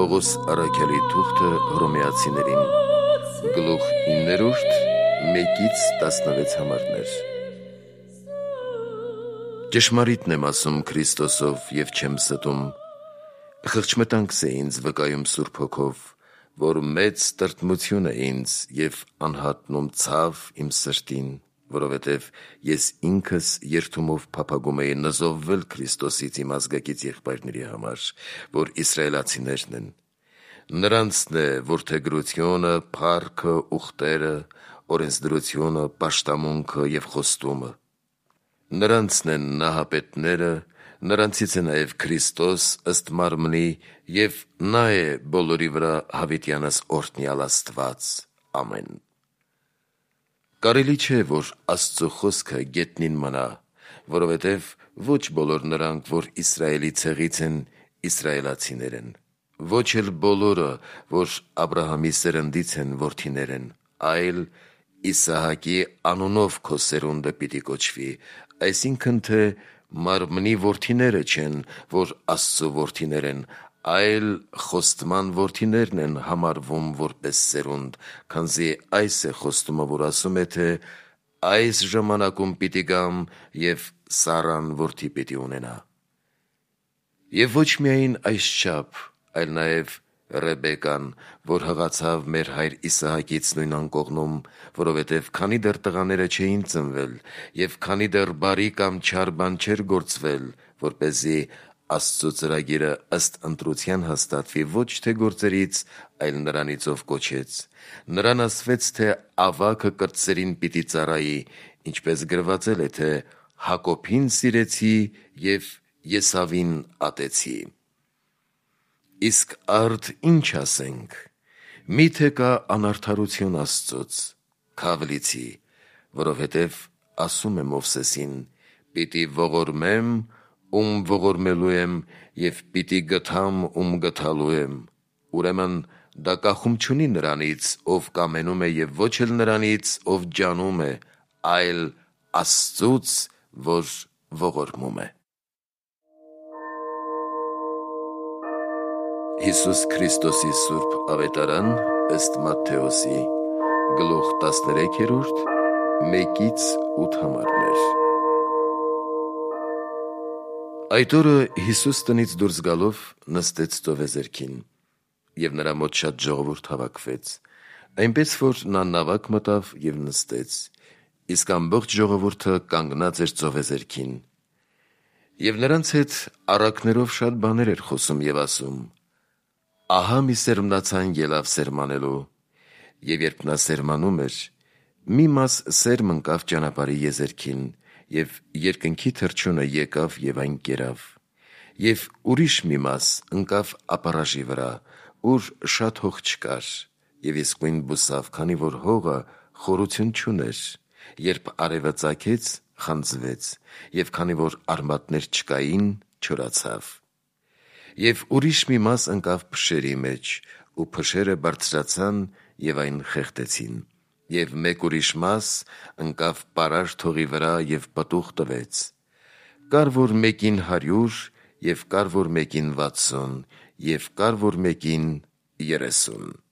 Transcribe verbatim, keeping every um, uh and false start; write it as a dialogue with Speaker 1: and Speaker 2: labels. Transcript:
Speaker 1: Պողոս առաքյալի թուղթը հռոմեացիներին, գլուխ իններորդ, մեկից տասնվեց համարներ։ Ճշմարիտն եմ ասում Քրիստոսով և չեմ ստում, խղճմտանքս է ինձ վկայում Սուրբ Հոգով, որ մեծ տրտմություն է ինձ և անհատնում ցավ իմ սրտին, որովհետև ես ինքս երդումով փափագում էի նզովվել Քրիստոսից իմ ազգակից եղբայրների համար, որ իսրայելացիներն են։ Նրանցն է որդեգրությունը, փառքը, ուխտերը, օրենսդրությունը, պաշտամունքը և խոստումը։ Նրանցն են նահապետները, նրանցից է նաև Քրիստոս ըստ մարմնի, և նա է բոլորի վրա հավիտյանս օրհնյալ Աստված։ Ամեն։ Կարելի չէ, որ Աստծո խոսքը գետնին մնա, որովհետև ոչ բոլոր նրանք, որ Իսրայելի ցեղից են, իսրայելացիներ են, ոչ էլ բոլորը, որ Աբրահամի սերնդից են, որդիներ են, այլ Իսահակի անունով քո սերունդը պիտի կոչվի, այսինքն թե մարմնի որդիները չեն, որ Աստծո որդիներ են, այլ խոստման որդիներն են համարվում որպես սերունդ, քանզի այս է խոստումը, որ ասում է, թե այս ժամանակում պիտի գամ և Սառան որդի պիտի ունենա։ Եվ ոչ միայն այսչափ, այլ նաև Ռեբեկան, որ հղացավ մեր հայր Իսահակից նույն անկողնում, որովհետև քանի դեռ տղաները չէին ծնվել, և քանի դեռ բարի կամ չար բան չէր գործվել, որպեսզի Աստծո ծրագիրը ըստ ընտրության հաստատվի ոչ թե գործերից, այլ նրանից, ով կոչեց, նրան ասվեց, թե ավագը կրտսերին պիտի ծառայի, ինչպես գրվածել է, թե Հակոբին սիրեցի և Եսավին ատեցի։ Իսկ արդ ինչ ասենք, մի՞թե կա անարդարություն Աստծոց, քավլիցի, որովհետև ասում է Մովսեսին. «Պիտի ողորմեմ, ում ողորմելու եմ, և պիտի գթամ, ում գթալու եմ»։ Ուրեմն դա կախում չունի նրանից, ով կամենում է, և ոչ էլ նրանից, ով ջանում է, այլ Աստծուց, որ ողորմում է։ Հիսուս Քրիստոսի սուրբ ավետարան ըստ Մատթեոսի, գլուխ տասներեքերորդ, մեկից ութ համարներ։ Այդ օրը Հիսուս տնից դուրս գալով նստեց ծովեզերքին, և նրա մոտ շատ ժողովուրդ հավաքվեց, այնպես որ նա նավակ մտավ և նստեց, իսկ ամբողջ ժողովուրդը կանգնած էր ծովեզերքին։ Եվ նրանց հետ առակներով շատ բաներ էր խոսում և ասում. «Ահա մի սերմնացան ելավ սերմանելու, և երբ նա սերմանում էր, մի մաս սերմ ընկավ ճանապարհի եզերքին, և երկնքի թռչյունը եկավ և այն կերավ, և ուրիշ մի մաս ընկավ ապառաժի վրա, ուր շատ հող չկար, և իսկույն բուսավ, քանի որ հողը խորություն չուներ, երբ արևը ծագեց, խանձվեց, և քանի որ արմատներ չկային, չորացավ։ Եվ ուրիշ մի մաս ընկավ փշերի մեջ, ու փշերը բարձրացան և այն խեղդեցին, և մեկ ուրիշ մաս ընկավ պարարտ հողի վրա և պտուղ տվեց. կար որ մեկին հարյուր, և կար որ մեկին վաթսուն, և կար որ մեկին երեսուն»։